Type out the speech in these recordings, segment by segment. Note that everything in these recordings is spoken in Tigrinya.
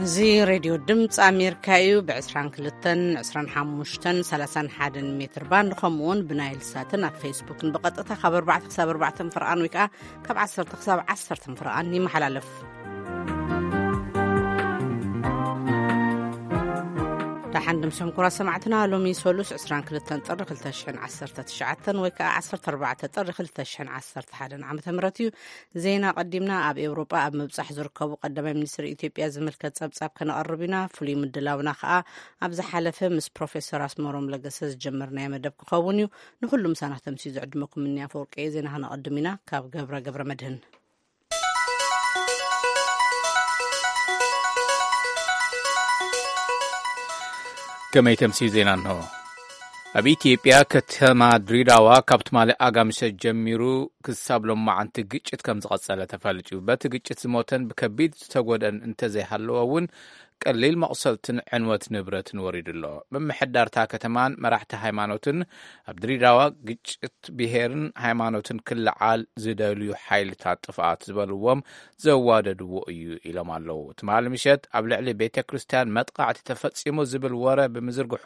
እዚ ሬድዮ ድምፂ ኣሜሪካ እዩ። ብ22፣ 25፣ 31 ሜትር ባንድ፣ ከምኡ እውን ብናይል ሳትን ኣብ ፌስቡክን ብቐጥታ ካብ ኣርባዕተ ክሳብ ኣርባዕተ ፍርቓን ወይ ከዓ ካብ ዓሰርተ ክሳብ ዓሰርተ ፍርቓን ይመሓላለፍ። ደሓን ድምሶም ኩራ ሰማዕትና፣ ሎሚ ሰሉስ 22 ጥሪ 2019 ወይ ከዓ 14 ጥሪ 2011 ዓመተ ምህረት እዩ። ዜና ቀዲምና። ኣብ ኤውሮጳ ኣብ ምብጻሕ ዝርከቡ ቀዳማይ ሚኒስትር ኢትዮጵያ ዝምልከት ጸብጻብ ከነቐርብ ኢና። ፍሉይ ምድላውና ከኣ ኣብ ዝሓለፈ ምስ ፕሮፌሰር ኣስመሮም ለገሰ ዝጀመርናዮ መደብ ክኸውን እዩ። ንኹሉ ምሳና ተምስዩ ዝዕድመኩም እኒ ኣፈወርቂ እየ። ዜና ከነቐድም ኢና። ካብ ገብረ ገብረ መድህን። ከመይ ተምስዩ ዜና እንሆ። ኣብ ኢትዮጵያ ከተማ ድሬዳዋ ካብ ትማሊ ኣጋምሸት ጀሚሩ ክሳብ ሎማዓንቲ ግጭት ከም ዝቐጸለ ተፈሊጡ። በቲ ግጭት ዝሞተን ብከቢድ ዝተጎድአን እንተዘይሃለወ እውን ቀሊል መቑሰልትን ዕንወት ንብረትን ወሪዱ ኣሎ። ምምሕዳርታ ከተማን መራሕቲ ሃይማኖትን ኣብ ድሬዳዋ ግጭት ብሄርን ሃይማኖትን ክለዓል ዝደልዩ ሓይልታት ጥፍኣት ዝበልዎም ዘዋደድዎ እዩ ኢሎም ኣለዉ። ትማሊ ምሸት ኣብ ልዕሊ ቤተ ክርስቲያን መጥቃዕቲ ተፈጺሙ ዝብል ወረ ብምዝርግሑ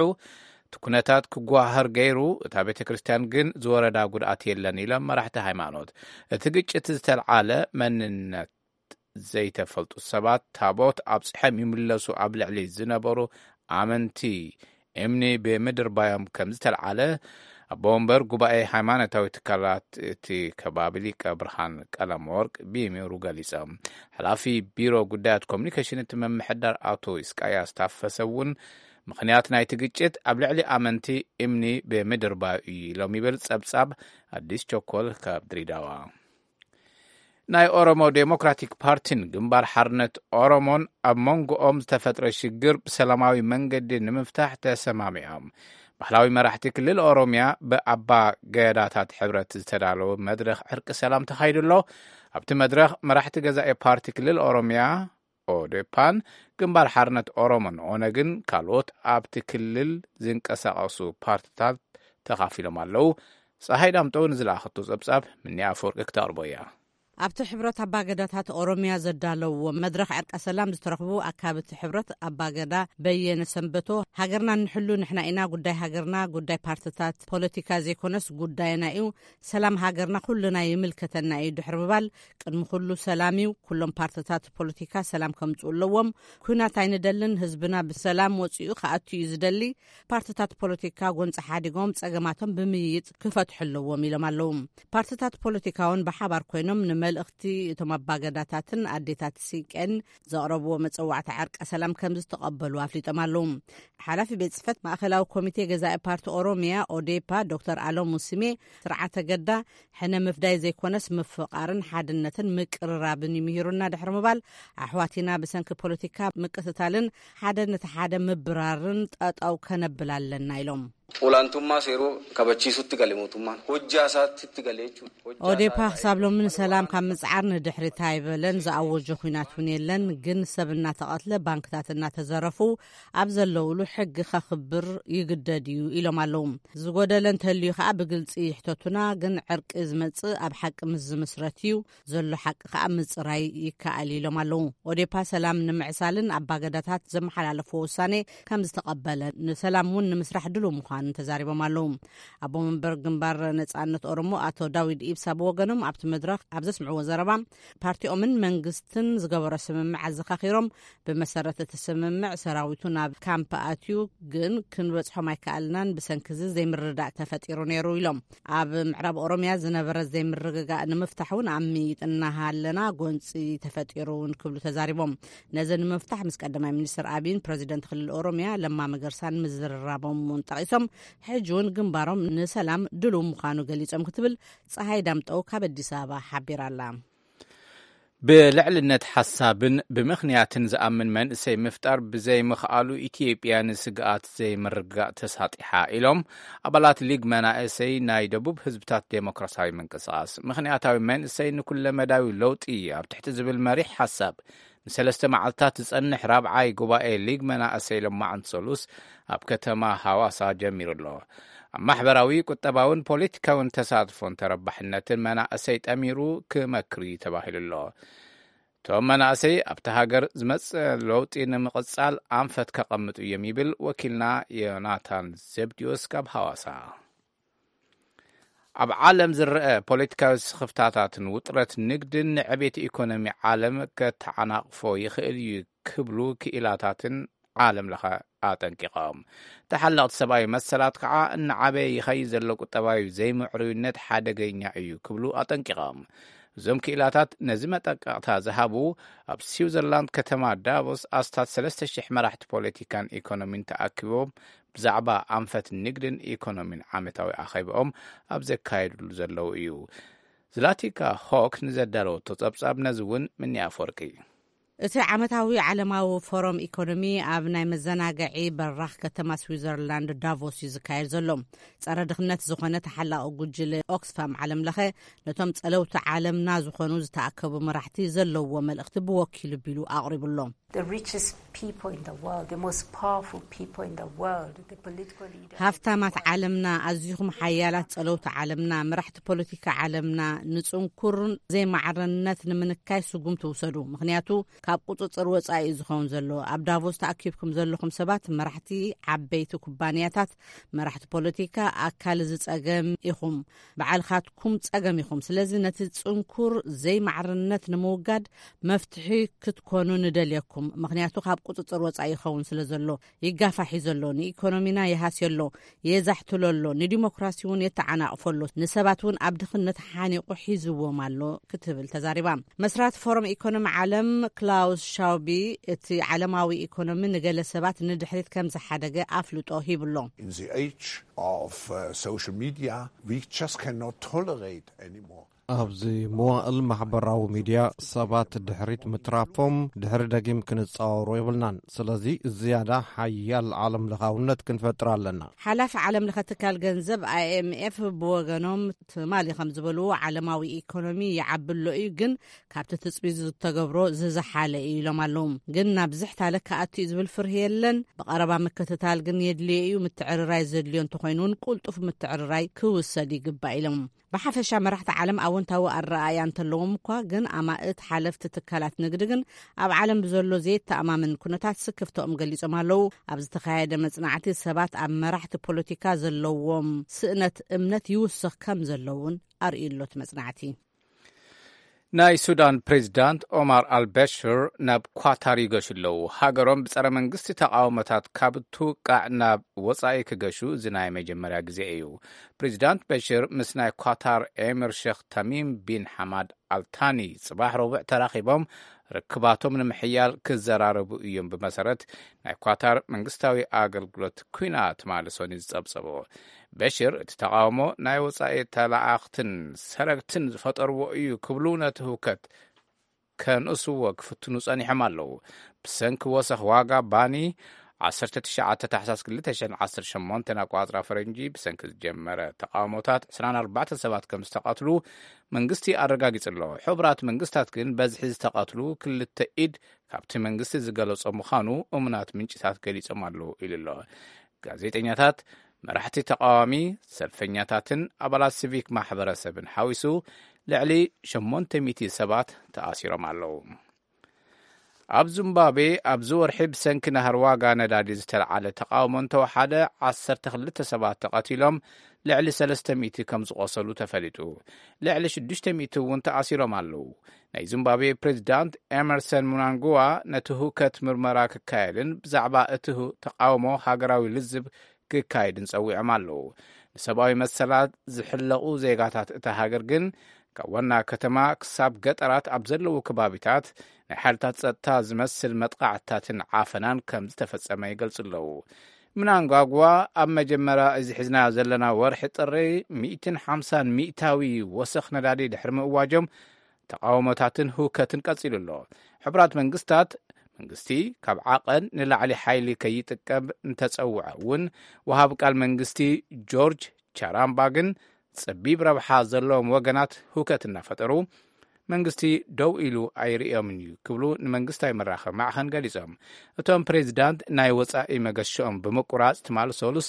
እቲ ኩነታት ክጓሃር ገይሩ፣ እታ ቤተ ክርስቲያን ግን ዝወረዳ ጉድኣት የለን ኢሎም መራሕቲ ሃይማኖት። እቲ ግጭት ዝተልዓለ መንነት ዘይተፈልጡ ሰባት ታቦት ኣብፅሖም ይምለሱ ኣብ ልዕሊ ዝነበሩ ኣመንቲ እምኒ ብምድርባዮም ከም ዝተልዓለ ኣቦ ወንበር ጉባኤ ሃይማኖታዊ ትካላት እቲ ከባቢ ሊቀ ብርሃን ቀለመወርቅ ቢሚሩ ገሊጾም። ሓላፊ ቢሮ ጉዳያት ኮሚኒኬሽን እቲ ምምሕዳር ኣቶ ኢስቃያስ ታፈሰ እውን ምኽንያት ናይቲ ግጭት ኣብ ልዕሊ ኣመንቲ እምኒ ብምድርባዩ እዩ ኢሎም ይብል ጸብጻብ ኣዲስ ቸኮል ካብ ድሬዳዋ። ናይ ኦሮሞ ዴሞክራቲክ ፓርቲን ግንባር ሓርነት ኦሮሞን ኣብ መንጎኦም ዝተፈጥረ ሽግር ብሰላማዊ መንገዲ ንምፍታሕ ተሰማሚዖም። ባህላዊ መራሕቲ ክልል ኦሮሚያ ብኣባ ገዳታት ሕብረት ዝተዳለወ መድረኽ ዕርቂ ሰላም ተኻይዱ ኣሎ። ኣብቲ መድረኽ መራሕቲ ገዛኢ ፓርቲ ክልል ኦሮሚያ ኦዴፓን ግንባር ሓርነት ኦሮሞን ኦነግን ካልኦት ኣብቲ ክልል ዝንቀሳቐሱ ፓርትታት ተኻፊሎም ኣለዉ። ፀሃይ ዳምጠው ንዝለኣኸቶ ጸብጻብ ምኒ ኣፈወርቂ ክተቕርቦ እያ። ኣብቲ ሕብረት ኣባገዳታት ኦሮሚያ ዘዳለውዎ መድረኽ ዕርቀ ሰላም ዝተረኽቡ ኣካብቲ ሕብረት ኣባገዳ በየነ ሰንበቶ፣ ሃገርና እንሕሉ ንሕና ኢና፣ ጉዳይ ሃገርና ጉዳይ ፓርትታት ፖለቲካ ዘይኮነስ ጉዳይና እዩ፣ ሰላም ሃገርና ኩልና ይምልከተና እዩ ድሕሪ ምባል፣ ቅድሚ ኩሉ ሰላም እዩ፣ ኩሎም ፓርትታት ፖለቲካ ሰላም ከምጽኡ ኣለዎም፣ ኩናት ኣይንደልን፣ ህዝብና ብሰላም ወጺኡ ክኣቱ እዩ ዝደሊ፣ ፓርትታት ፖለቲካ ጎንፂ ሓዲጎም ጸገማቶም ብምይይጥ ክፈትሑ ኣለዎም ኢሎም ኣለዉ። ፓርትታት ፖለቲካ እውን ብሓባር ኮይኖም ንመልእኽቲ እቶም ኣባገዳታትን ኣዴታት ሲቄን ዘቕረብዎ መጸዋዕታ ዕርቀ ሰላም ከም ዝተቐበሉ ኣፍሊጦም ኣለዉ። ሓላፊ ቤት ጽሕፈት ማእኸላዊ ኮሚቴ ገዛኢ ፓርቲ ኦሮሚያ ኦዴፓ ዶክተር ኣሎሙ ስሜ፣ ስርዓተ ገዳ ሕነ ምፍዳይ ዘይኮነስ ምፍቓርን ሓድነትን ምቅርራብን እዩ ምሂሩና ድሕሪ ምባል፣ ኣሕዋቲና ብሰንኪ ፖለቲካ ምቅትታልን ሓደ ነቲ ሓደ ምብራርን ጠጠው ከነብል ኣለና ኢሎም። Olaantummaa seeruu kabachiisutti gale mootummaan, hojjaa isaatti gale jechuudha. Hojjaa ኦዴፓ isaa ክሳብ ሎሚ ንሰላም ካብ ምጽዓር ንድሕሪት ኣይበለን። ዝኣወጆ ኹናት እውን የለን። ግን ሰብ እናተቐትለ፣ ባንክታት እናተዘረፉ ኣብ ዘለውሉ ሕጊ ከኽብር ይግደድ እዩ ኢሎም ኣለዉ። ዝጎደለ እንተልዩ ከዓ ብግልፂ ይሕተቱና። ግን ዕርቂ ዝመፅእ ኣብ ሓቂ ምስ ዝምስረት እዩ። ዘሎ ሓቂ ከዓ ምፅራይ ይከኣል ኢሎም ኣለዉ። ኦዴፓ ሰላም ንምዕሳልን ኣባገዳታት ዘመሓላለፍዎ ውሳኔ ከም ዝተቐበለ፣ ንሰላም እውን ንምስራሕ ድሉው ምዃኑ ተዛሪቦም ኣለዉ። ኣቦ መንበር ግንባር ነጻነት ኦሮሞ ኣቶ ዳዊድ ኢብሳ ብወገኖም ኣብቲ መድረኽ ኣብ ዘስምዕዎ ዘረባ፣ ፓርቲኦምን መንግስትን ዝገበሮ ስምምዕ ኣዘኻኺሮም፣ ብመሰረት እቲ ስምምዕ ሰራዊቱ ናብ ካምፕ ኣትዩ፣ ግን ክንበጽሖም ኣይከኣልናን፣ ብሰንኪ እዚ ዘይምርድዳእ ተፈጢሩ ነይሩ ኢሎም። ኣብ ምዕራብ ኦሮሚያ ዝነበረ ዘይምርግጋእ ንምፍታሕ እውን ኣምይጥና ኣለና፣ ጎንፂ ተፈጢሩ እውን ክብሉ ተዛሪቦም። ነዚ ንምፍታሕ ምስ ቀዳማይ ሚኒስትር ኣቢይን ፕረዚደንት ክልል ኦሮሚያ ለማ መገርሳን ምዝርራቦም እውን ጠቒሶም፣ ሕጂ እውን ግንባሮም ንሰላም ድሉው ምዃኑ ገሊጾም ክትብል ፀሃይ ዳምጠው ካብ ኣዲስ ኣበባ ሓቢራ ኣላ። ብልዕልነት ሓሳብን ብምኽንያትን ዝኣምን መንእሰይ ምፍጣር ብዘይምኽኣሉ ኢትዮጵያ ንስግኣት ዘይምርግጋእ ተሳጢሓ ኢሎም ኣባላት ሊግ መናእሰይ ናይ ደቡብ ህዝብታት ዴሞክራሲያዊ ምንቅስቓስ። ምኽንያታዊ መንእሰይ ንኩለመዳዊ ለውጢ ኣብ ትሕቲ ዝብል መሪሕ ሓሳብ ንሰለስተ መዓልታት ዝጸንሕ ራብዓይ ጉባኤ ሊግ መናእሰይ ሎማዓንቲ ሰሉስ ኣብ ከተማ ሃዋሳ ጀሚሩ ኣሎ። ኣብ ማሕበራዊ፣ ቁጠባውን ፖለቲካውን ተሳትፎን ተረባሕነትን መናእሰይ ጠሚሩ ክመክር እዩ ተባሂሉ ኣሎ። እቶም መናእሰይ ኣብቲ ሃገር ዝመጽእ ለውጢ ንምቕጻል ኣንፈት ከቐምጡ እዮም ይብል ወኪልና ዮናታን ዘብድዮስ ካብ ሃዋሳ። ኣብ ዓለም ዝረአ ፖለቲካዊ ስኽፍታታትን ውጥረት ንግድን ንዕቤት ኢኮኖሚ ዓለም ከተዓናቕፎ ይኽእል እዩ ክብሉ ክኢላታትን ዓለም ለኸ ኣጠንቂቖም። ተሓለቕቲ ሰብኣዊ መሰላት ከዓ እናዓበየ ይኸይድ ዘሎ ቁጠባዊ ዘይምዕሩይነት ሓደገኛ እዩ ክብሉ ኣጠንቂቖም። እዞም ክኢላታት ነዚ መጠንቀቕታ ዝሃቡ ኣብ ስዊዘርላንድ ከተማ ዳቮስ ኣስታት ሰለስተ ሽሕ መራሕቲ ፖለቲካን ኢኮኖሚን ተኣኪቦም ብዛዕባ ኣንፈት ንግድን ኢኮኖሚን ዓመታዊ ኣኼባኦም ኣብ ዘካየድሉ ዘለዉ እዩ። ዝላቲካ ሆክ ንዘዳለወቶ ጸብጻብ ነዚ እውን ምንያ ኣፈወርቂ። እቲ ዓመታዊ ዓለማዊ ፎረም ኢኮኖሚ ኣብ ናይ መዘናግዒ በራኽ ከተማ ስዊዘርላንድ ዳቮስ እዩ ዝካየድ ዘሎ። ጸረ ድኽነት ዝኾነ ተሓላቒ ጉጅለ ኦክስፋም ዓለም ለኸ ነቶም ጸለውቲ ዓለምና ዝኾኑ ዝተኣከቡ መራሕቲ ዘለዎ መልእኽቲ ብወኪሉ ቢሉ ኣቕሪቡሎ። The richest people in the world, the most powerful people in the world, the political leaders. ሃፍታማት ዓለምና፣ ኣዚኹም ሓያላት ጸለውቲ ዓለምና፣ መራሕቲ ፖለቲካ ዓለምና፣ ንጽንኩርን ዘይማዕርነት ንምንካይ ስጉምቲ ውሰዱ። ምኽንያቱ ካብ ቁጽጽር ወጻኢ እዩ ዝኸውን ዘሎ። ኣብ ዳቮስ ተኣኪብኩም ዘለኹም ሰባት መራሕቲ ዓበይቲ ኩባንያታት፣ መራሕቲ ፖለቲካ፣ ኣካል እዚ ጸገም ኢኹም። ባዕልኻትኩም ጸገም ኢኹም። ስለዚ ነቲ ጽንኩር ዘይማዕርነት ንምውጋድ መፍትሒ ክትኮኑ ንደልየኩም። ምኽንያቱ ካብ ቁጽጽር ወጻኢ ይኸውን ስለ ዘሎ፣ ይጋፋሕ እዩ ዘሎ፣ ንኢኮኖሚና ይሃስዮ ኣሎ፣ የዛሕትሎ ኣሎ፣ ንዲሞክራሲ እውን የተዓናቕፎ ኣሎ፣ ንሰባት እውን ኣብ ድኽነት ሓኒቑ ሒዝዎም ኣሎ ክትብል ተዛሪባ። መስራት ፎረም ኢኮኖሚ ዓለም ክላውስ ሻውቢ፣ እቲ ዓለማዊ ኢኮኖሚ ንገለ ሰባት ንድሕሪት ከም ዝሓደገ ኣፍልጦ ሂብሎ። In the age of uh, social media, we just cannot tolerate anymore. ኣብዚ መዋእል ማሕበራዊ ሚድያ ሰባት ድሕሪት ምትራፎም ድሕሪ ደጊም ክንጻወሮ የብልናን። ስለዚ ዝያዳ ሓያል ዓለም ለኻውነት ክንፈጥር ኣለና። ሓላፊ ዓለም ለኸ ትካል ገንዘብ ኣይኤምኤፍ ብወገኖም ትማሊ ከም ዝበልዎ ዓለማዊ ኢኮኖሚ ይዓቢ ኣሎ እዩ፣ ግን ካብቲ ትጽቢት ዝተገብሮ ዝዝሓለ እዩ ኢሎም ኣለዉ። ግን ናብ ዝሕታለ ክኣቱ እዩ ዝብል ፍርሂ የለን። ብቐረባ ምክትታል ግን የድልዮ እዩ። ምትዕርራይ ዘድልዮ እንተኾይኑ እውን ቁልጡፍ ምትዕርራይ ክውሰድ ይግባእ ኢሎም። ብሓፈሻ መራሕቲ ዓለም ኣወንታዊ ኣረኣእያ እንተለዎም እኳ፣ ግን ኣማእት ሓለፍቲ ትካላት ንግዲ ግን ኣብ ዓለም ብዘሎ ዘየተኣማምን ኩነታት ስክፍተኦም ገሊጾም ኣለዉ። ኣብ ዝተኻየደ መጽናዕቲ ሰባት ኣብ መራሕቲ ፖለቲካ ዘለዎም ስእነት እምነት ይውስኽ ከም ዘለውን ኣርእዩ ኣሎ እቲ መጽናዕቲ። ናይ ሱዳን ፕሬዚዳንት ኦማር ኣልበሽር ናብ ኳታር ይገሹ ኣለዉ። ሃገሮም ብጸረ መንግስቲ ተቃውሞታት ካብ ትውቃዕ ናብ ወጻኢ ክገሹ እዚ ናይ መጀመርያ ግዜ እዩ። ፕሬዚዳንት በሽር ምስ ናይ ኳታር ኤምር ሸኽ ተሚም ቢን ሓማድ ኣልታኒ ጽባሕ ረቡዕ ተራኺቦም ርክባቶም ንምሕያል ክዘራረቡ እዮም፣ ብመሰረት ናይ ኳታር መንግስታዊ ኣገልግሎት ኩናት ማልሶኒ ዝጸብጸቦ። በሽር እቲ ተቃውሞ ናይ ወጻኢ ተለኣኽትን ሰረግትን ዝፈጠርዎ እዩ ክብሉ ነቲ ህውከት ከንእስዎ ክፍትኑ ጸኒሖም ኣለዉ። ብሰንኪ ወሰኽ ዋጋ ባኒ ዓሰርተ ትሽዓተ ታሕሳስ ክልተ ሽሕን ዓሰርተ ሸሞንተን ኣቋጽራ ፈረንጂ ብሰንኪ ዝጀመረ ተቃውሞታት ዕስራን ኣርባዕተን ሰባት ከም ዝተቐትሉ መንግስቲ ኣረጋጊጹ ኣሎ። ሕቡራት መንግስታት ግን በዝሒ ዝተቐትሉ ክልተ ኢድ ካብቲ መንግስቲ ዝገለጾ ምዃኑ እሙናት ምንጭታት ገሊጾም ኣለዉ ኢሉ ኣሎ። ጋዜጠኛታት፣ መራሕቲ ተቃዋሚ፣ ሰልፈኛታትን ኣባላት ሲቪክ ማሕበረሰብን ሓዊሱ ልዕሊ ሸሞንተ ሚእቲ ሰባት ተኣሲሮም ኣለዉ። ኣብ ዚምባብዌ ኣብዚ ወርሒ ብሰንኪ ናህሪ ዋጋ ነዳዲ ዝተለዓለ ተቃውሞ እንተወሓደ ዓሰርተ ክልተ ሰባት ተቐቲሎም ልዕሊ ሰለስተ ሚእቲ ከም ዝቖሰሉ ተፈሊጡ። ልዕሊ ሽዱሽተ ሚእቲ እውን ተኣሲሮም ኣለዉ። ናይ ዚምባብዌ ፕሬዚዳንት ኤመርሰን ሙናንጉዋ ነቲ ህውከት ምርመራ ክካየድን ብዛዕባ እቲ ህ- ተቃውሞ ሃገራዊ ልዝብ ክካየድን ጸዊዖም ኣለዉ። ንሰብኣዊ መሰላት ዝሕለቑ ዜጋታት እታ ሃገር ግን ካብ ዋና ከተማ ክሳብ ገጠራት ኣብ ዘለዉ ከባቢታት ናይ ሓይልታት ጸጥታ ዝመስል መጥቃዕትታትን ዓፈናን ከም ዝተፈጸመ ይገልጹ ኣለዉ። ምናንጓጓ ኣብ መጀመርያ እዚ ሒዝናዮ ዘለና ወርሒ ጥሪ ሚእትን ሓምሳን ሚእታዊ ወሰኽ ነዳዲ ድሕሪ ምእዋጆም ተቃውሞታትን ህውከትን ቀጺሉ ኣሎ። ሕቡራት መንግስታት መንግስቲ ካብ ዓቐን ንላዕሊ ሓይሊ ከይጥቀም እንተጸውዐ እውን ወሃብ ቃል መንግስቲ ጆርጅ ቻራምባ ግን ጸቢብ ረብሓ ዘለዎም ወገናት ህውከት እናፈጠሩ መንግስቲ ደው ኢሉ ኣይርእዮምን እዩ ክብሉ ንመንግስታዊ መራኸቢ ማዕኸን ገሊጾም። እቶም ፕሬዚዳንት ናይ ወጻኢ መገሽኦም ብምቁራጽ ትማል ሰሉስ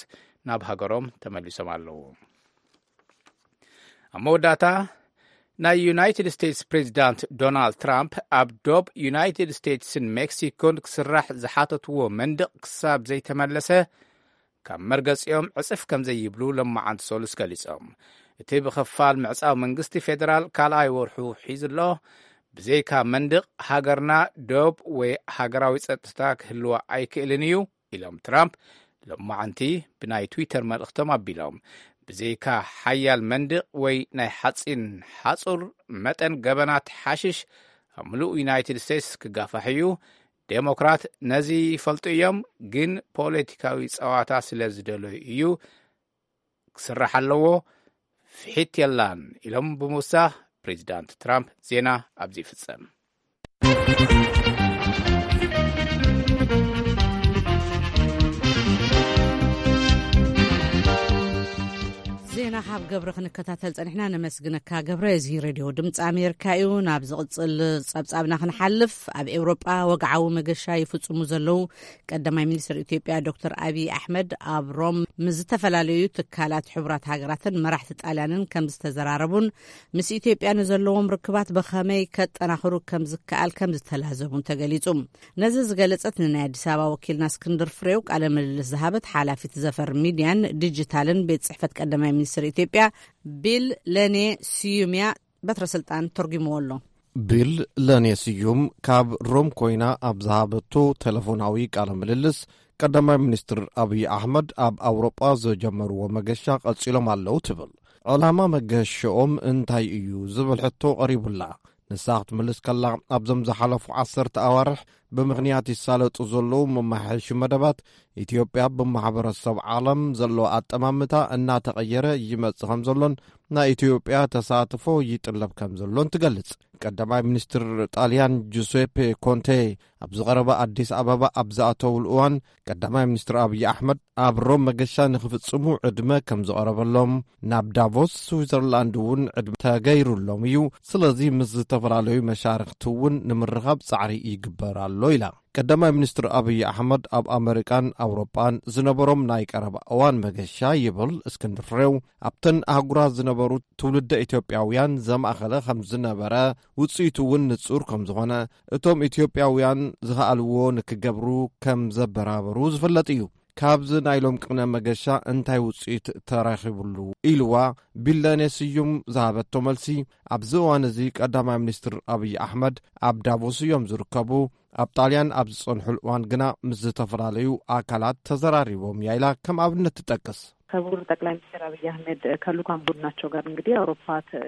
ናብ ሃገሮም ተመሊሶም ኣለዉ። ኣብ መወዳእታ ናይ ዩናይትድ ስቴትስ ፕሬዚዳንት ዶናልድ ትራምፕ ኣብ ዶብ ዩናይትድ ስቴትስን ሜክሲኮን ክስራሕ ዝሓተትዎ መንደቕ ክሳብ ዘይተመለሰ ካብ መርገጺኦም ዕጽፍ ከም ዘይብሉ ለማዓንቲ ሰሉስ ገሊጾም። እቲ ብኽፋል ምዕጻው መንግስቲ ፌደራል ካልኣይ ወርሑ ሒዙ ኣሎ። ብዘይካ መንደቕ ሃገርና ዶብ ወይ ሃገራዊ ጸጥታ ክህልዋ ኣይክእልን እዩ ኢሎም ትራምፕ ለማዓንቲ ብናይ ትዊተር መልእኽቶም ኣቢሎም። ብዘይካ ሓያል መንደቕ ወይ ናይ ሓጺን ሓጹር መጠን ገበናት ሓሽሽ ኣብ ምሉእ ዩናይትድ ስቴትስ ክጋፋሕ እዩ። ዴሞክራት ነዚ ይፈልጡ እዮም፣ ግን ፖለቲካዊ ጸዋታ ስለ ዝደለዩ እዩ ክስራሕ ኣለዎ። ፍሒት የላን ኢሎም ብምውሳኽ ፕሬዚዳንት ትራምፕ ዜና ኣብዚ ይፍጸም። ዜና ካብ ገብረ ክንከታተል ጸኒሕና። ነመስግነካ ገብረ። እዚ ሬድዮ ድምፂ ኣሜሪካ እዩ። ናብ ዝቕፅል ጸብጻብና ክንሓልፍ፣ ኣብ ኤውሮጳ ወግዓዊ መገሻ ይፍጽሙ ዘለዉ ቀዳማይ ሚኒስትር ኢትዮጵያ ዶክተር ኣብይ ኣሕመድ ኣብ ሮም ምስ ዝተፈላለዩ ትካላት ሕቡራት ሃገራትን መራሕቲ ጣልያንን ከም ዝተዘራረቡን ምስ ኢትዮጵያ ንዘለዎም ርክባት ብኸመይ ከጠናኽሩ ከም ዝከኣል ከም ዝተላዘቡን ተገሊጹ። ነዚ ዝገለጸት ንናይ ኣዲስ ኣበባ ወኪልና እስክንድር ፍሬው ቃለ ምልልስ ዝሃበት ሓላፊት ዘፈር ሚድያን ዲጂታልን ቤት ጽሕፈት ቀዳማይ ሚኒስትር ኢትዮጵያ ቢል ለኔ ስዩም እያ። በትረ ስልጣን ተርጉምዎ ኣሎ። ቢል ለኔ ስዩም ካብ ሮም ኮይና ኣብ ዝሃበቶ ቴሌፎናዊ ቃለ ምልልስ፣ ቀዳማይ ሚኒስትር ኣብይ ኣሕመድ ኣብ ኣውሮጳ ዝጀመርዎ መገሻ ቀጺሎም ኣለዉ ትብል። ዕላማ መገሸኦም እንታይ እዩ ዝብል ሕቶ ቀሪቡላ። ንሳ ክትምልስ ከላ፣ ኣብዞም ዝሓለፉ ዓሰርተ ኣዋርሕ ብምኽንያት ይሳለጡ ዘለዉ መመሓየሺ መደባት ኢትዮጵያ ብማሕበረሰብ ዓለም ዘለዎ ኣጠማምታ እናተቐየረ ይመጽእ ከም ዘሎን ናይ ኢትዮጵያ ተሳትፎ ይጥለብ ከም ዘሎን ትገልጽ። ቀዳማይ ሚኒስትር ጣልያን ጁሴፔ ኮንቴ ኣብ ዝቐረበ ኣዲስ ኣበባ ኣብ ዝኣተውሉ እዋን፣ ቀዳማይ ሚኒስትር ኣብይ ኣሕመድ ኣብ ሮም መገሻ ንኽፍጽሙ ዕድመ ከም ዝቐረበሎም፣ ናብ ዳቮስ ስዊዘርላንድ እውን ዕድመ ተገይሩሎም እዩ። ስለዚ ምስ ዝተፈላለዩ መሻርኽቲ እውን ንምርኻብ ጻዕሪ ይግበር ኣሎ ኢላ። ቀዳማይ ሚኒስትር ኣብይ ኣሕመድ ኣብ ኣመሪካን ኣውሮጳን ዝነበሮም ናይ ቀረባ እዋን መገሻ ይብል እስክንድር ፍሬው፣ ኣብተን ኣህጉራት ዝነበሩ ትውልደ ኢትዮጵያውያን ዘማእኸለ ከም ዝነበረ፣ ውጽኢቱ እውን ንጹር ከም ዝኾነ፣ እቶም ኢትዮጵያውያን ዝኸኣልዎ ንክገብሩ ከም ዘበራበሩ ዝፍለጥ እዩ። ካብዚ ናይ ሎም ቅነ መገሻ እንታይ ውጽኢት ተረኺብሉ ኢልዋ ቢለኔ ስዩም ዝሃበቶ መልሲ፣ ኣብዚ እዋን እዚ ቀዳማይ ሚኒስትር ኣብይ ኣሕመድ ኣብ ዳቮስ እዮም ዝርከቡ። ኣብ ጣልያን ኣብ ዝጸንሑሉ እዋን ግና ምስ ዝተፈላለዩ ኣካላት ተዘራሪቦም እያ ኢላ ከም ኣብነት ትጠቅስ። ክቡር ጠቅላይ ሚኒስትር አብይ አህመድ ከልኡካን ቡድናቸው ጋር እንግዲህ አውሮፓ ተ-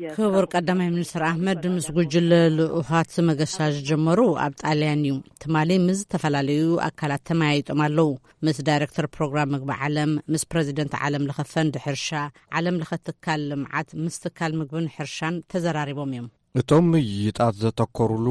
የ- ክቡር ቀዳማይ ሚኒስትር ኣሕመድ ምስ ጉጅለ ልኡኻት መገሻ ዝጀመሩ ኣብ ጣልያን እዩ። ትማሊ ምስ ዝተፈላለዩ ኣካላት ተመያይጦም ኣለዉ። ምስ ዳይሬክተር ፕሮግራም ምግቢ ዓለም፣ ምስ ፕረዚደንት ዓለም ለኸ ፈንድ ሕርሻ፣ ዓለም ለኸ ትካል ልምዓት፣ ምስ ትካል ምግብን ሕርሻን ተዘራሪቦም እዮም። እቶም ምይይጣት ዘተኮሩሉ፣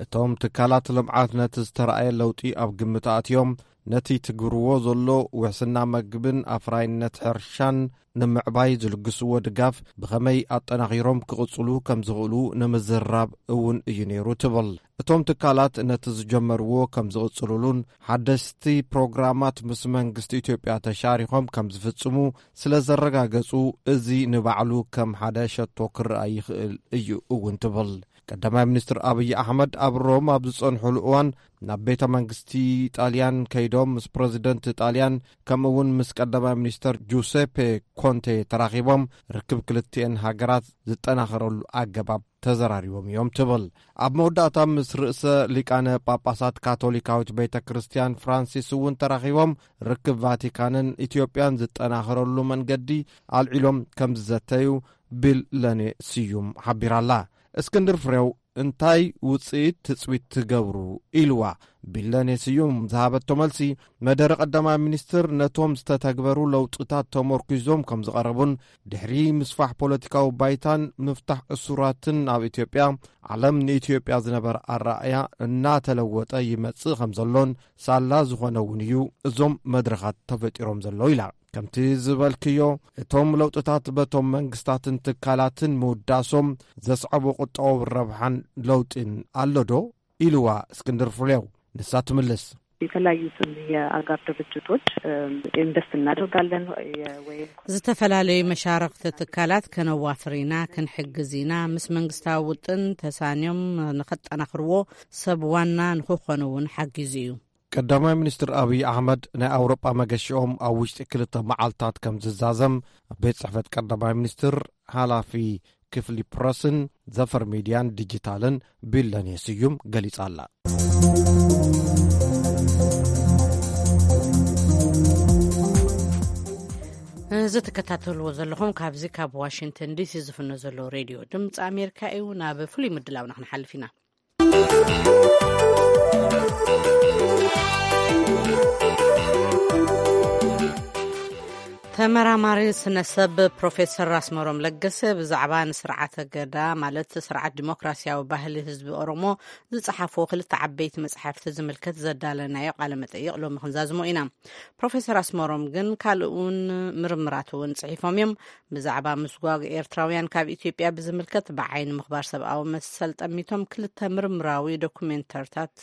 እቶም ትካላት ልምዓት ነቲ ዝተረኣየ ለውጢ ኣብ ግምት ኣእትዮም፣ ነቲ ትግብርዎ ዘሎ ውሕስና መግብን ኣፍራይነት ሕርሻን ንምዕባይ ዝልግስዎ ድጋፍ ብኸመይ ኣጠናኺሮም ክቕጽሉ ከም ዝኽእሉ ንምዝራብ እውን እዩ ነይሩ ትብል። እቶም ትካላት ነቲ ዝጀመርዎ ከም ዝቕጽሉሉን ሓደስቲ ፕሮግራማት ምስ መንግስቲ ኢትዮጵያ ተሻሪኾም ከም ዝፍጽሙ ስለ ዘረጋገጹ፣ እዚ ንባዕሉ ከም ሓደ ሸቶ ክረኣ ይኽእል እዩ እውን ትብል። ቀዳማይ ሚኒስትር ኣብይ ኣሕመድ ኣብ ሮም ኣብ ዝጸንሑሉ እዋን፣ ናብ ቤተ መንግስቲ ጣልያን ከይዶም ምስ ፕረዚደንት ጣልያን ከምኡ እውን ምስ ቀዳማይ ሚኒስተር ጁሴፔ ኮንቴ ተራኺቦም፣ ርክብ ክልቲኤን ሃገራት ዝጠናኸረሉ ኣገባብ ተዘራሪቦም እዮም ትብል። ኣብ መወዳእታ ምስ ርእሰ ሊቃነ ጳጳሳት ካቶሊካዊት ቤተ ክርስቲያን ፍራንሲስ እውን ተራኺቦም፣ ርክብ ቫቲካንን ኢትዮጵያን ዝጠናኸረሉ መንገዲ ኣልዒሎም ከም ዝዘተዩ ቢል ለኔ ስዩም ሓቢራላ። እስክንድር ፍሬው እንታይ ውጽኢት ትጽቢት ትገብሩ ኢልዋ። ቢለኔ ስዩም ዝሃበቶ መልሲ፣ መደረ ቀዳማይ ሚኒስትር ነቶም ዝተተግበሩ ለውጥታት ተመርኩዞም ከም ዝቐረቡን፣ ድሕሪ ምስፋሕ ፖለቲካዊ ባይታን ምፍታሕ እሱራትን ኣብ ኢትዮጵያ፣ ዓለም ንኢትዮጵያ ዝነበረ ኣረኣእያ እናተለወጠ ይመጽእ ከም ዘሎን ሳላ ዝኾነ እውን እዩ እዞም መድረኻት ተፈጢሮም ዘለዉ ኢላ። ከምቲ ዝበልክዮ፣ እቶም ለውጥታት በቶም መንግስታትን ትካላትን ምውዳሶም ዘስዐቦ ቁጠባዊ ረብሓን ለውጢን ኣሎ ዶ? ኢልዋ እስክንድር ፍሬው። ንሳ ትምልስ። የተለያዩ ስም የአጋር ድርጅቶች ኢንቨስት እናደርጋለን። ወይም ዝተፈላለዩ መሻረክቲ ትካላት ከነዋፍር ኢና፣ ክንሕግዝ ኢና፣ ምስ መንግስታዊ ውጥን ተሳንዮም ንኸጠናኽርዎ ሰብ ዋና ንክኾኑ እውን ሓጊዙ እዩ። ቀዳማይ ሚኒስትር ኣብይ ኣሕመድ ናይ ኣውሮጳ መገሽኦም ኣብ ውሽጢ ክልተ መዓልታት ከም ዝዛዘም ቤት ጽሕፈት ቀዳማይ ሚኒስትር ሓላፊ ክፍሊ ፕረስን ዘፈር ሚድያን ዲጂታልን ቢለኔ ስዩም ገሊጻ ኣላ። እዚ ትከታተልዎ ዘለኹም ካብዚ ካብ ዋሽንግተን ዲሲ ዝፍኖ ዘሎ ሬድዮ ድምፂ ኣሜሪካ እዩ። ናብ ፍሉይ ምድላውና ክንሓልፍ ኢና። ተመራማሪ ስነ ሰብ ፕሮፌሰር ኣስመሮም ለገሰ ብዛዕባ ንስርዓተ ገዳ፣ ማለት ስርዓት ዲሞክራሲያዊ ባህሊ ህዝቢ ኦሮሞ፣ ዝጸሓፎ ክልተ ዓበይቲ መጽሓፍቲ ዝምልከት ዘዳለናዮ ቃለ መጠይቕ ሎሚ ክንዛዝሞ ኢና። ፕሮፌሰር ኣስመሮም ግን ካልእ እውን ምርምራት እውን ጽሒፎም እዮም። ብዛዕባ ምስጓግ ኤርትራውያን ካብ ኢትዮጵያ ብዝምልከት፣ ብዓይኒ ምኽባር ሰብኣዊ መሰል ጠሚቶም ክልተ ምርምራዊ ዶኩሜንተርታት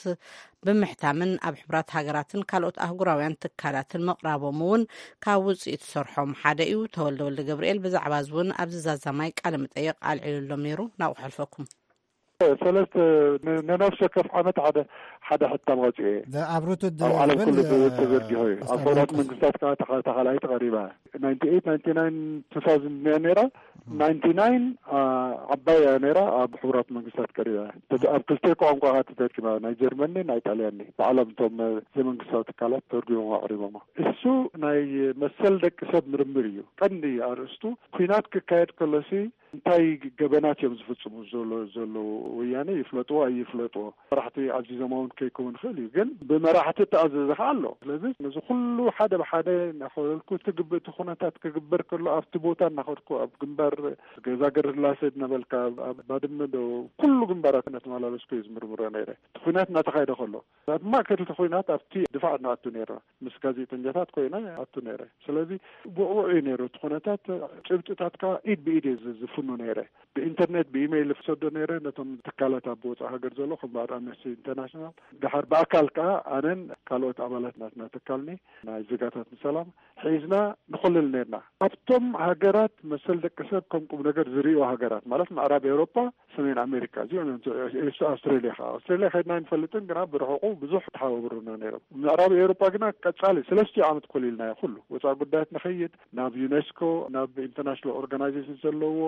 ብምሕታምን ኣብ ሕቡራት ሃገራትን ካልኦት ኣህጉራውያን ትካላትን ምቕራቦም እውን ካብ ውጽኢት ስርሖም ሓደ እዩ። ተወልደ ወልደ ገብርኤል ብዛዕባ እዚ እውን ኣብዚ ዛዛማይ ቃለ መጠይቕ ኣልዒሉሎም ነይሩ። ናብኡ ከሕልፈኩም። ሰለስተ ን-፣ ንነፍሲ ወከፍ ዓመት ሓደ፣ ሓደ ሕታም ኣውፅኤ። ኣብ ዓለም ኩሉ ተ-፣ ተዘርጊሑ እዩ። ኣብ ሕቡራት መንግስታት ከዓ ተኻ-፣ ተኻላይት ቀሪባ። ናይንቲ ኤይት፣ ናይንቲ ናይን፣ ቱ ታውዘንድ እያ ነይራ። ናይንቲ ናይን፣ አ፣ ዓባይ እያ ነይራ። ኣብ ሕቡራት መንግስታት ቀሪባ እያ። ተተ-፣ ኣብ ክልተ ቋንቋ ተተርጊማ፣ ናይ ጀርመኒ፣ ናይ ጣልያኒ። ባዕሎም እቶም፣ እ፣ ዘይመንግስታዊ ትካላት ተርጉሞም ኣቕሪቦሞ። እሱ ናይ መሰል ደቂ ሰብ ምርምር እዩ። ቀንዲ ኣርእስቱ፣ ኩናት ክካየድ ከሎሲ እንታይ ገበናት እዮም ዝፍጽሙ ዘሎ-፣ ዘለዉ? ወያነ ይፍለጥዎ ኣይፍለጥዎ፣ መራሕቲ ኣዚዞም እውን ከይከውን ይኽእል እዩ። ግን ብመራሕቲ እተኣዘዘ ኸዓ ኣሎ። ስለዚ ነዚ ኩሉ ሓደ ብሓደ እናኸለልኩ፣ እቲ ግብ-፣ እቲ ኩነታት ክግበር ከሎ፣ ኣብቲ ቦታ እናኸድኩ፣ ኣብ ግንባር ገዛ ገረስላሴ እናበልካ፣ ኣብ፣ ኣብ ባድመ ዶ፣ ኩሉ ግንባራት እናተመላለስኩ እየ ዝምርምሮ ነይረ። እቲ ኩናት እናተኻየደ ከሎ፣ ኣብ ማእከል እቲ ኩናት ኣብቲ ድፋዕ ንኣቱ ነይርና። ምስ ጋዜጠኛታት ኮይነ ኣቱ ነይረ። ስለዚ ውዕዉዕ እዩ ነይሩ እቲ ኩነታት። ጭብጥታት ከኣ ኢድ ብኢድ እየ ዝ-፣ ዝፍኑ ነይረ። ብኢንተርኔት፣ ብኢሜይል ዝሰዶ ነይረ ነቶም ትካላት ኣብ ወጻኢ ሃገር ዘሎ፣ ከም በዓል ኣምነስቲ ኢንተርናሽናል። ደሓር ብኣካል ከኣ ኣነን ካልኦት ኣባላት ናትና ትካልኒ ናይ ዜጋታት ንሰላም ሒዝና ንኹልል ነይርና። ኣብቶም ሃገራት መሰል ደቂ ሰብ ከም ቁም ነገር ዝርእዩ ሃገራት፣ ማለት ምዕራብ ኤውሮጳ፣ ሰሜን ኣሜሪካ፣ እዚኦም እዮም። ኤስ-፣ ኣውስትራሊያ ከኣ፣ ኣውስትራሊያ ከድና ኣይንፈልጥን፣ ግና ብርሑቑ ብዙሕ ተሓባብሩና ነይሮም። ምዕራብ ኤውሮጳ ግና ቀጻሊ ሰለስቲኡ ዓመት ኮሊልናዮ ኩሉ። ወጻኢ ጉዳያት ንኸይድ፣ ናብ ዩኔስኮ፣ ናብ ኢንተርናሽናል ኦርጋናይዜሽን ዘለዎ፣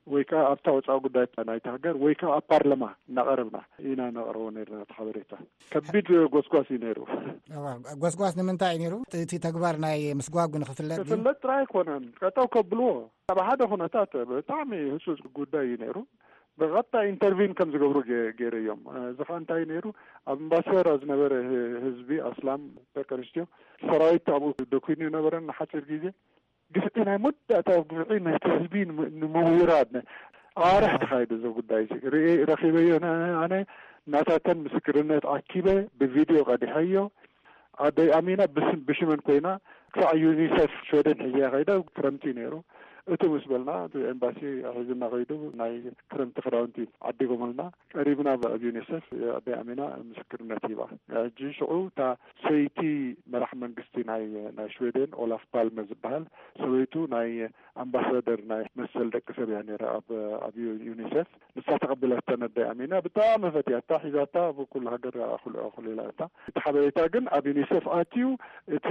ወይ ከኣ ኣብታ ወጻኢ ጉዳያት ናይቲ ሃገር፣ ወይ ከኣ ኣብ ፓርላማ እናቐረብና ኢና ነቕርቦ ነይርና እቲ ሓበሬታ። ከቢድ ጎስጓስ እዩ ነይሩ። እዋ፣ ጎስጓስ ንምንታይ እዩ ነይሩ? እቲ ተግባር ናይ ምስጓጉ ንኽፍለጥ ድዩ? ክፍለጥ ጥራይ ኣይኮነን፣ ጠጠው ከብልዎ። ኣብ ሓደ ኩነታት ብጣዕሚ ህጹጽ ጉዳይ እዩ ነይሩ። ብቐጥታ ኢንተርቪን ከም ዝገብሩ ገ-፣ ገይረዮም። እዚ ኸኣ እንታይ ነይሩ? ኣብ እምባሰራ ዝነበረ ህ-፣ ህዝቢ ኣስላም፣ ደቂ ኣንስትዮ፣ ሰራዊት ኣብኡ ደኲኑ ነበረ ንሓጺር ግዜ። ግፍዒ ናይ መወዳእታ ግፍዒ ነቲ ህዝቢ ንም-፣ ንምውራድ ነ-፣ ኣዋርሕ ተኻይዱ እዚ ጉዳይ እዚ። ርኢ-፣ ረኺበዮ ነ-፣ ኣነ ናታተን ምስክርነት ኣኪበ ብቪድዮ ቀዲሐዮ። ኣደይ ኣሚና ብስም-፣ ብሽመን ኮይና ክሳዕ ዩኒሴፍ ሽወደን ሒዘያ ከይዳ። ክረምቲ ነይሩ። እቱ ምስ በልና እቲ ኤምባሲ ሒዝና ከይዱ ናይ ክረምቲ ክዳውንቲ ዓዲጎምልና። ቀሪብና ኣብ ዩኒሴፍ ኣደይ ኣሚና ምስክርነት ሂባ። ሕጂ ሽዑ እታ ሰይቲ መራሕ መንግስቲ ናይ፣ ናይ ሽወደን ኦላፍ ፓልመ ዝበሃል ሰበይቱ ናይ ኣምባሳደር ናይ መሰል ደቂ ሰብ እያ ነይራ ኣብ፣ ኣብ ዩ-፣ ዩኒሴፍ። ንሳ ተቐቢላታ ነዳይ ኣሚና ብጣዕሚ ፈትያታ፣ ሒዛታ፣ ኣብ ኩሉ ሃገር ኣኹል-፣ ኣኹሊላታ። እቲ ሓበሬታ ግን ኣብ ዩኒሴፍ ኣትዩ፣ እቲ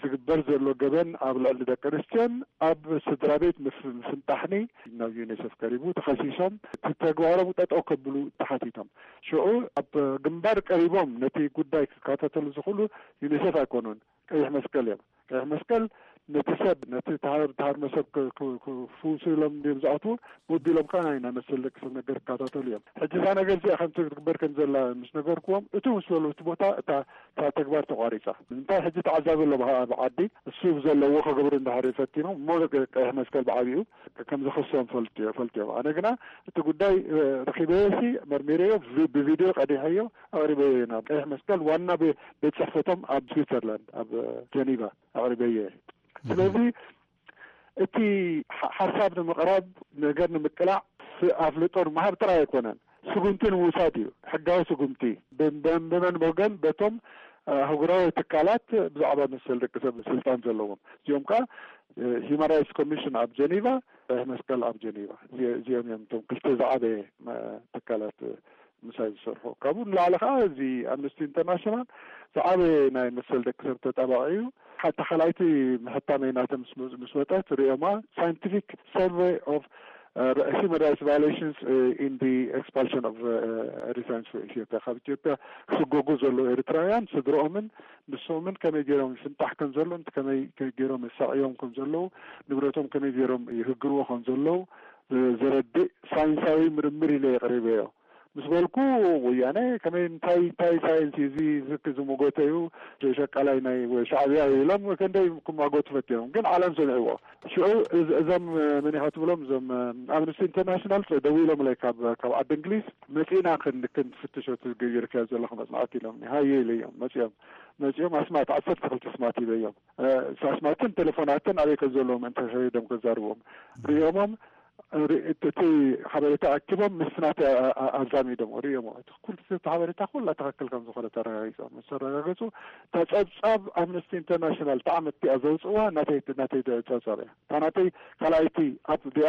ዝግበር ዘሎ ገበን ኣብ ልዕሊ ደቂ ኣንስትዮን ኣብ ስድራ ቤት ምፍ-፣ ምፍንጣሕኒ ናብ ዩኒሴፍ ቀሪቡ፣ ተኸሲሶም፣ እቲ ተግባሮም ጠጠው ከብሉ ተሓቲቶም። ሽዑ ኣብ ግንባር ቀሪቦም ነቲ ጉዳይ ክከታተሉ ዝኽእሉ ዩኒሴፍ ኣይኮኑን፣ ቀይሕ መስቀል እዮም። ቀይሕ መስቀል ነቲ ሰብ፣ ነቲ ተሃር-፣ ተሃርመ ሰብ ክ-፣ ክ-፣ ክፍውሱ ኢሎም ድዮም ዝኣትዉ? ወቢሎም ከኣ ናይ፣ ናይ መሰል ደቂ ሰብ ነገር ክከታተሉ እዮም። ሕጂ እዛ ነገር እዚኣ ከምቲ ክትግበር ከም ዘላ ምስ ነገርክዎም፣ እቱ ምስ በሉ እቲ ቦታ፣ እታ፣ እታ ተግባር ተቋሪጻ። ንምንታይ ሕጂ ተዓዛቢ ኣሎ ብሃ-፣ ኣብ ዓዲ፣ እሱ ዘለዎ ክገብሩ እንድሕር ፈቲኖም፣ እሞ ቀ-፣ ቀይሕ መስቀል ብዓቢኡ ከም ዝኸሶም ፈልጡ፣ ፈልጡ እዮም። ኣነ ግና እቲ ጉዳይ፣ እ፣ ረኺበዮሲ መርሚረዮ፣ ብ-፣ ብቪድዮ ቀዲሐዮ፣ ኣቕሪበዮ ኢና። ቀይሕ መስቀል ዋና ቤ-፣ ቤት ጽሕፈቶም ኣብ ስዊትዘርላንድ፣ ኣብ ጀኒቫ ኣቕሪበዮ እየ። ስለዚ እቲ ሓ-፣ ሓሳብ ንምቕራብ፣ ነገር ንምቅላዕ፣ ስ-፣ ኣፍልጦ ንምሃብ ጥራይ ኣይኮነን፣ ስጉምቲ ንምውሳድ እዩ። ሕጋዊ ስጉምቲ ብ-፣ ብ-፣ ብመን ወገን? በቶም ኣህጉራዊ ትካላት ብዛዕባ መሰል ደቂ ሰብ ስልጣን ዘለዎም፣ እዚኦም ከዓ ሂማን ራይትስ ኮሚሽን ኣብ ጀኔቫ፣ ቀይሕ መስቀል ኣብ ጀኔቫ፣ እዚኦም እዮም እቶም ክልተ ዝዓበየ ትካላት ምሳይ ዝሰርሑ። ካብኡ ንላዕሊ ከዓ እዚ ኣምነስቲ ኢንተርናሽናል ዝዓበየ ናይ መሰል ደቂ ሰብ ተጣባቂ እዩ። ሓታ ካልኣይቲ ምሕታመይ ናተ ምስ ወፀት ርእዮማ፣ ሳይንቲፊክ ሰርቨይ ኦፍ ሂማን ራይትስ ቫዮሌሽንስ ኢን ኤክስፓልሽን ኦፍ ኤሪትራንስ ኢትዮጵያ፣ ካብ ኢትዮጵያ ክስጎጉ ዘለዉ ኤርትራውያን ስድርኦምን ንሶምን ከመይ ገይሮም ይፍንጣሕ ከም ዘሎ፣ ከመይ ገይሮም ይሳቅዮም ከም ዘለዉ፣ ንብረቶም ከመይ ገይሮም ይህግርዎ ከም ዘለዉ ዘረድእ ሳይንሳዊ ምርምር ኢለ የቅሪበዮ ምስ በልኩ፣ ወያነ ከመይ፣ እንታይ እንታይ ሳይንስ እዩ እዚ፣ ዝክ ዝመጎተ እዩ፣ ሸቃላይ ናይ ወይ ሻዕብያ እዩ ኢሎም ክንደይ ክማጎቱ ፈትዮም፣ ግን ዓለም ሰሚዕዎ። ሽዑ እዞም መኒኻ ትብሎም፣ እዞም ኣምነስቲ ኢንተርናሽናል ደዊሎምለይ ካብ ዓዲ እንግሊዝ፣ መፂእና ክንፍትሾ ትገብርካዮ ዘለኹ መፅናዕቲ ኢሎም ሃየ ኢለዮም። መፂኦም መፂኦም ኣስማት ዓሰርተ ክልተ ኣስማት ሂበዮም። ኣስማትን ቴሌፎናትን ኣበይ ከም ዘለዎም እንተሰሪዶም ከዛርቦም ርእዮሞም፣ እቲ ሓበሬታ ኣኪቦም ምስ ናተ ኣዛሚዶም ርእዮም። ኩሉ ሓበሬታ ኩላ ትክክል ከም ዝኾነ ተረጋጊፆም ምስ ተረጋገፁ፣ ተፀብፃብ ኣምነስቲ ኢንተርናሽናል ተዓመት እቲኣ ዘውፅእዋ ናተይ ናተይ ፀብፃብ እያ። እታ ናተይ ካልኣይቲ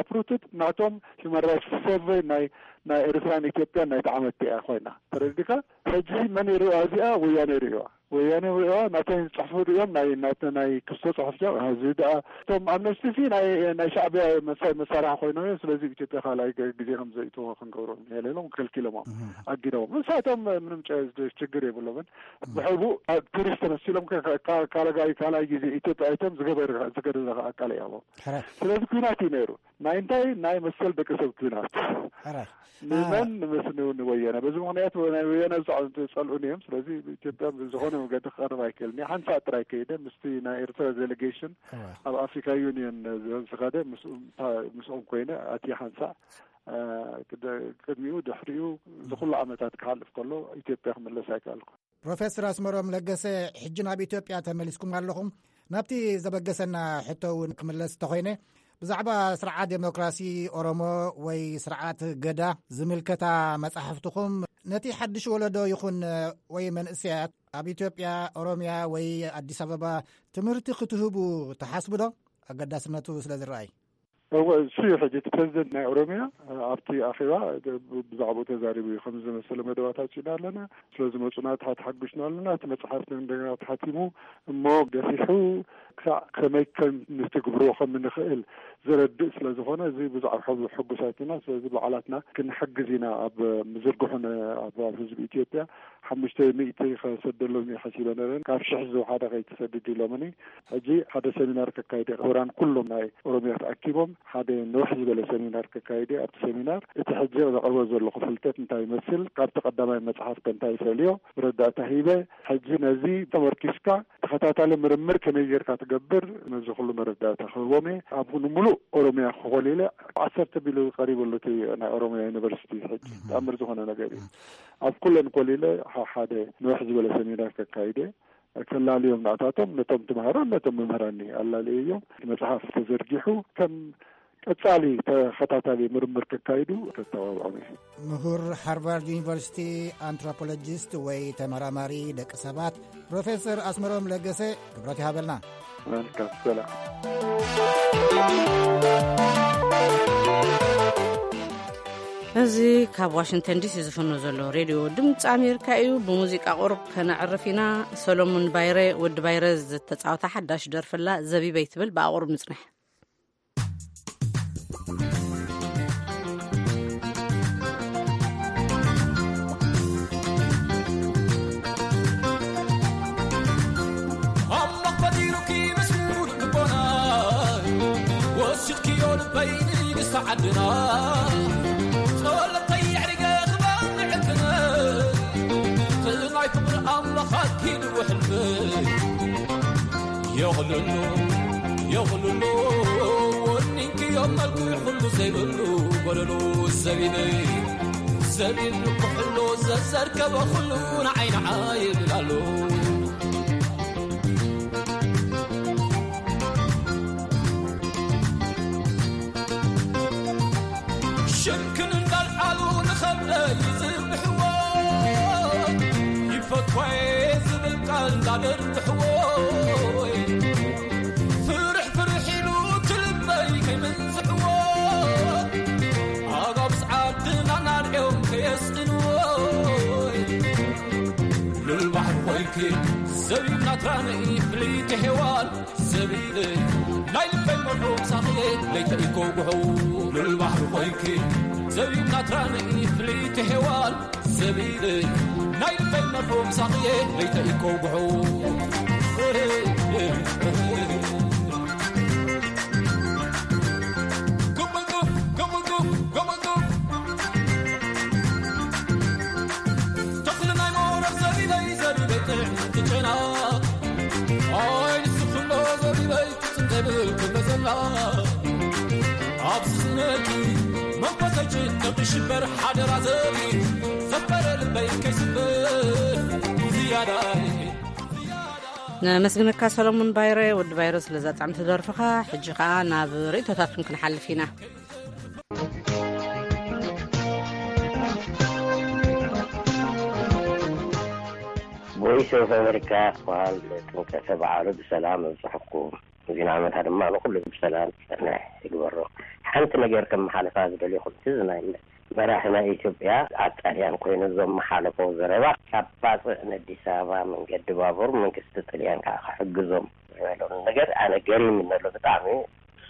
ኣፕሩትድ ናቶም ሂማን ራይትስ ሰርቨይ ናይ ናይ ኤርትራን ኢትዮጵያን ናይ ተዓመት እቲኣ ኮይና ተረዲካ። ሕጂ መን ይርእያ እዚኣ? ወያነ ይርእዋ። ወያነ ይርእዋ። ናተይ ጽሑፍ ርእዮም ናይ ናተ ናይ ክስቶ ጽሑፍ ዚኦም እዚ ደኣ እቶም ኣምነስቲ ሲ ናይ ናይ ሻዕብያ መሳ- መሳርሒ ኮይኖም እዮም። ስለዚ ኢትዮጵያ ካልኣይ ገ- ግዜ ከም ዘይእትዎ ክንገብሮ ንኽእል ኢሎም ከልኪሎሞም ኣጊዶም። ንሳቶም ምንም ጨ- ችግር የብሎምን። ብሕቡ ኣብ ቱሪስት ተመሲሎም ከ- ከ- ካልጋይ ካልኣይ ግዜ ኢትዮጵያ ኣይቶም ዝገበር ዝገደለ ኣቃል እዮም። ሕራይ ስለዚ ኩናት እዩ ነይሩ። ናይ እንታይ ናይ መሰል ደቂ ሰብ ኩናት። ሕራይ ንመን ንምስንው ንወያነ። በዚ ምኽንያት ናይ ወያነ ዝጸልኡን እዮም። ስለዚ ኢትዮጵያ ብዝኾነ መገዲ ክቐርብ ኣይክእልን። ሓንሳእ ጥራይ ከይደ ምስቲ ናይ ኤርትራ ዴሌጌሽን እዋ ኣብ ኣፍሪካ ዩኒየን ዝኸደ ምስኦም ኮይነ ኣቲ ሓንሳእ ቅድሚኡ ድሕሪኡ ዝኩሉ ዓመታት ክሓልፍ ከሎ ኢትዮጵያ ክምለስ ኣይከኣልኩ። ፕሮፌሰር ኣስመሮም ለገሰ፣ ሕጂ ናብ ኢትዮጵያ ተመሊስኩም ኣለኹም። ናብቲ ዘበገሰና ሕቶ እውን ክምለስ እንተኾይነ፣ ብዛዕባ ስርዓት ዴሞክራሲ ኦሮሞ ወይ ስርዓት ገዳ ዝምልከታ መጻሕፍትኹም ነቲ ሓድሽ ወለዶ ይኹን ወይ መንእሰያት ኣብ ኢትዮጵያ፣ ኦሮምያ ወይ ኣዲስ ኣበባ ትምህርቲ ክትህቡ ትሓስቡ ዶ? ኣገዳስነቱ ስለ ዝረኣይ። እወ፣ እሱ እዩ። ሕጂ እቲ ፕሬዚደንት ናይ ኦሮሚያ ኣብቲ ኣኼባ ብዛዕባኡ ተዛሪቡ እዩ። ከምዚ ዝመሰለ መደባት ኣውፂእና ኣለና፣ ስለ ዝመፁና ተሓ- ተሓጒስና ኣለና። እቲ መፅሓፍ እንደገና ተሓቲሙ እሞ ገፊሑ ክሳዕ ከመይ ከም ንትግብሮ ከም ንኽእል ዘረድእ ስለ ዝኾነ፣ እዚ ብዛዕባ ሕጉሳት ኢና። ስለዚ ባዕላትና ክንሕግዝ ኢና። ኣብ ምዝርግሑን ኣብ ህዝቢ ኢትዮጵያ ሓሙሽተ ሚእቲ ከሰደሎም እየ ሓሲበ ነረን። ካብ ሽሕ ዝወሓደ ከይትሰድድ ኢሎምኒ። ሕጂ ሓደ ሰሚናር ከካይደ፣ ምሁራን ኩሎም ናይ ኦሮሚያ ተኣኪቦም ሓደ ንውሕ ዝበለ ሰሚናር ከካይደ። ኣብቲ ሰሚናር እቲ ሕጂ ዘቕርቦ ዘለኹ ፍልጠት እንታይ ይመስል፣ ካብቲ ቀዳማይ መጽሓፍ ከ እንታይ ይፈልዮ፣ መረዳእታ ሂበ። ሕጂ ነዚ ተመርኪስካ ተኸታታሊ ምርምር ከመይ ጌርካ ትገብር፣ ነዚ ኩሉ መረዳእታ ክህቦም እየ። ኣብ ንምሉእ ኦሮሚያ ክኾሊለ ዓሰርተ ቢልዮን ቀሪቡ ኣሎ እቲ ናይ ኦሮሚያ ዩኒቨርሲቲ። ሕጂ ተኣምር ዝኾነ ነገር እዩ። ኣብ ኩለን ኮሊለ ሓደ ንውሕ ዝበለ ሰሚናር ከካይደ። ከላልዮም ናታቶም ነቶም ትምሃሮን ነቶም መምህራን ኣላልየዮም። መጽሓፍ ተዘርጊሑ ከም ቀጻሊ ተኸታታሊ ምርምር ከካይዱ ከተባብዖም እየ። ምሁር ሃርቫርድ ዩኒቨርሲቲ፣ ኣንትሮፖሎጂስት ወይ ተመራማሪ ደቂ ሰባት ፕሮፌሰር ኣስመሮም ለገሰ፣ ክብረት ይሃበልና። መልካም ሰላም። እዚ ካብ ዋሽንግተን ዲሲ ዝፍኖ ዘሎ ሬድዮ ድምፂ ኣሜሪካ እዩ። ብሙዚቃ ቁሩብ ከነዕርፍ ኢና። ሰሎሙን ባይረ፣ ወዲ ባይረ፣ ዝተፃወታ ሓዳሽ ደርፍላ ዘቢበይ ትብል፣ ብኣቑሩብ ንፅንሕ። ኣምላኽ ፈጢሩኪ ምስ ሙሉእ ልቦና፣ ወሲድክዮ ልበይ ንግስቲ ዓድና። ጸሎተይ የዕሪገ ክባን ዕድነ፣ ትማይ ፍቕሪ ኣምላኽ ኣኪድዎ ሕልመይ። የቕልሎ፣ የቕልሎ፣ ወኒንክዮ መልክዕ ኩሉ ዘይብሉ ጎደሎ ዘቢበይ። ዘቢብ ኩሕሎ ዘዘርከበ ኩሉ ንዓይ ንዓይ ይብል ኣሎ። ሽምክን እንዳልዓሉ ንኸብደይ ይዝብሕዎ፣ ይፈትዋየ ዝብል ቃል ኣደርግሕዎይ ፍርሕ ፍርሕ ኢሉ ትልበይ ከይምንዝሕዎ ኣጋብስ ዓድና ናርኦም ከየስእንዎይ ሉል ባሕሪ ኮይኪ ዘቢብ ናትራነይ ፍልይቲ ሔዋን ዘቢበይ ናይ ልበይ መርሑ ሳኽየ ለይተ ኢኮ ጉሑ ሉል ባሕሪ ኮይኪ ዘቢብ ናትራነይ ፍልይቲ ሔዋን ዘቢበይ ናይ ልበይ መርሑ ምሳኽየ ለይተ ኢኮ ጉሑ። ተኽሊ ናይ ሞረኽ ዘቢበይ ዘቢበይ ጥዕምቲ ጨና ኣይ ንስኽሎ ዘቢበይ ትብል ክመዘላ ኣብዚ ስነኪ መንፈሰይ ጭንቅ ሽበር ሓደራ ዘቢ ዘፈረ ልበይ ከይስበር ዝያዳ ነመስግነካ ሰሎሞን ባይረ፣ ወዲ ባይረ፣ ስለዛ ጣዕምቲ ደርፍኻ። ሕጂ ኸኣ ናብ ርእይቶታትኩም ክንሓልፍ ኢና። ቮይስ ኦፍ ኣሜሪካ ክበሃል ጥምቀተ በዓሉ ብሰላም ኣብፅሐኩም። ዜና ዓመታ ድማ ንኩሉ ብሰላም ዝፀንሕ ይግበሮ። ሓንቲ ነገር ከመሓልፋ ዝደልየኹም፣ እቲ ናይ መራሒ ናይ ኢትዮጵያ ኣብ ጣልያን ኮይኑ ዘመሓለፎ ዘረባ ካብ ባፅዕ ንኣዲስ ኣበባ መንገዲ ባቡር መንግስቲ ጥልያን ከዓ ክሕግዞም ዝበሎ ነገር ኣነ ገሪምኒ ኣሎ። ብጣዕሚ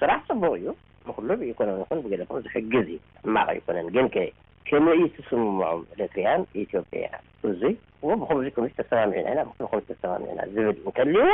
ስራሕ ፅቡቅ እዩ፣ ንኩሉ ብኢኮኖሚ ይኹን ብገለ ይኹን ዝሕግዝ እዩ፣ ሕማቅ ኣይኮነን። ግን ከ ከመይ እዩ ትስምምዖም ኤርትራያን ኢትዮጵያ? እዙይ እሞ ብኸምዚ ከምዚ ተሰማሚዕና ኢና፣ ብኸምዚ ተሰማሚዕና ዝብል እንተልዎ፣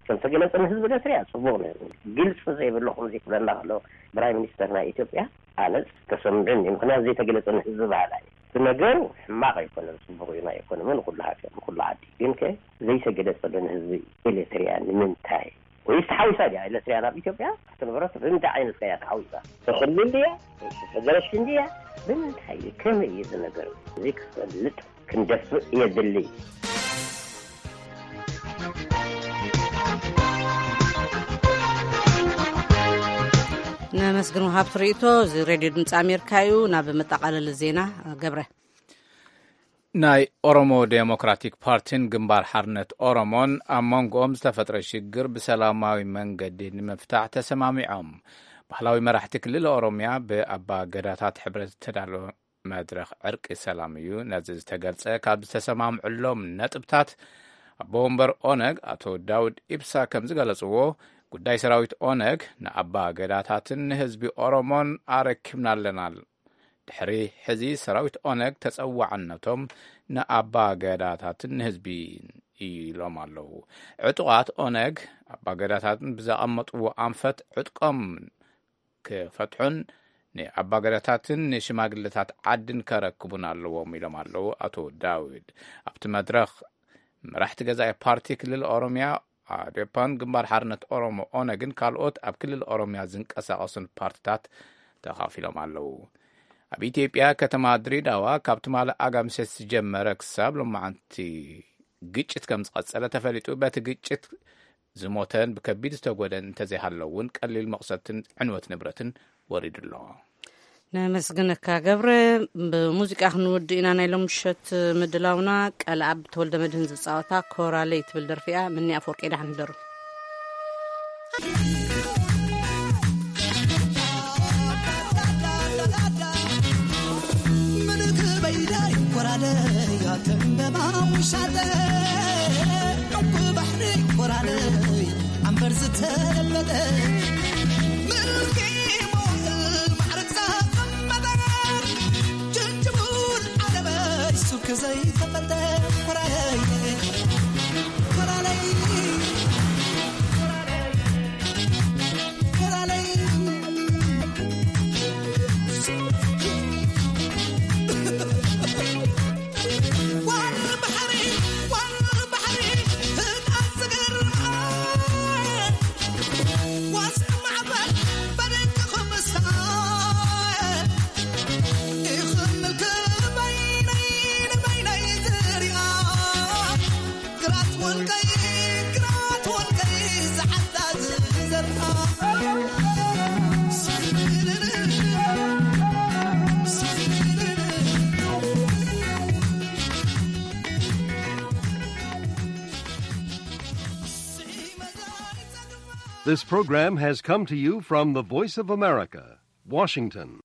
ከም ተገለጸ ንህዝቢ ኤርትራ ጽቡቕ ነይሩ። ግልጺ ዘይብሉ ከምዚ ክብለና ከሎ ብራይ ሚኒስተር ናይ ኢትዮጵያ፣ ኣነስ ተሰምዑኒ። ምኽንያቱ ዘይተገለጸ ንህዝቢ በሃላይ እዩ። እቲ ነገሩ ሕማቕ ኣይኮነን፣ ጽቡቕ እዩ። ናይ ኢኮኖሚ ንኹሉ ሃገር፣ ንኹሉ ዓዲ። ግን ከ ዘይተገለጸሉ ንህዝቢ ኤርትራ ንምንታይ? ወይስ ተሓዊሳ ድያ ኤርትራ ናብ ኢትዮጵያ? እቲ ንብረት ብምንታይ ዓይነት ከያ ተሓዊሳ? ተኽልል ድያ? ወይስ ተገረሽን ድያ? ብምንታይ እዩ? ከመይ እዩ እዚ ነገር? እዚ ክፈልጥ ክንደፍእ የድሊ። ነመስግን ወሃብቲ ርእይቶ። እዚ ሬድዮ ድምፂ ኣሜሪካ እዩ። ናብ መጠቓለሊ ዜና ገብረ። ናይ ኦሮሞ ዴሞክራቲክ ፓርቲን ግንባር ሓርነት ኦሮሞን ኣብ መንጎኦም ዝተፈጥረ ሽግር ብሰላማዊ መንገዲ ንምፍታሕ ተሰማሚዖም። ባህላዊ መራሕቲ ክልል ኦሮሚያ ብኣባ ገዳታት ሕብረት ዝተዳለወ መድረኽ ዕርቂ ሰላም እዩ። ነዚ ዝተገልጸ ካብ ዝተሰማምዕሎም ነጥብታት ኣቦ ወንበር ኦነግ ኣቶ ዳውድ ኢብሳ ከም ዝገለጽዎ፣ ጉዳይ ሰራዊት ኦነግ ንኣባ ገዳታትን ንህዝቢ ኦሮሞን ኣረኪብና ኣለና። ድሕሪ ሕዚ ሰራዊት ኦነግ ተጸዋዕነቶም ንኣባ ገዳታትን ንህዝቢ ኢሎም ኣለዉ። ዕጡቓት ኦነግ ኣባ ገዳታትን ብዘቐመጥዎ ኣንፈት ዕጥቆም ክፈትሑን ንኣባ ገዳታትን ንሽማግለታት ዓድን ከረክቡን ኣለዎም ኢሎም ኣለዉ ኣቶ ዳዊድ። ኣብቲ መድረኽ መራሕቲ ገዛኢ ፓርቲ ክልል ኦሮሚያ ኣዴፓን ግንባር ሓርነት ኦሮሞ ኦነግን ካልኦት ኣብ ክልል ኦሮሚያ ዝንቀሳቐሱን ፓርትታት ተኻፊሎም ኣለዉ። ኣብ ኢትዮጵያ ከተማ ድሬዳዋ ካብ ትማሊ ኣጋምሸት ዝጀመረ ክሳብ ሎማዓንቲ ግጭት ከም ዝቐጸለ ተፈሊጡ። በቲ ግጭት ዝሞተን ብከቢድ ዝተጎደን እንተዘይሃለዉ እውን ቀሊል መቕሰድትን ዕንወት ንብረትን ወሪዱ ኣሎ። ነመስግነካ ገብረ። ብሙዚቃ ክንውድእ ኢና ናይ ሎም ምሸት ምድላውና። ቀልኣብ ተወልደ መድህን ዝፃወታ ኮራለይ ትብል ደርፊ እያ። ምኒ ኣፈወርቂ ደሓን ህደሩ። ምልክ በይዳይ ኮራለይ ኣተንበባ ውሻጠ ዕንቁ ባሕሪ ኮራለይ ኣንበር ዝተለበጠ ምልኪ መዋእል ማዕረግ ዘቐመጠ ጅንጅቡል ዓለበይ ሱክ ዘይተፈልጠ ኮራለይ ኮራለይ ኮራለይ This program has come to you from the Voice of America, Washington.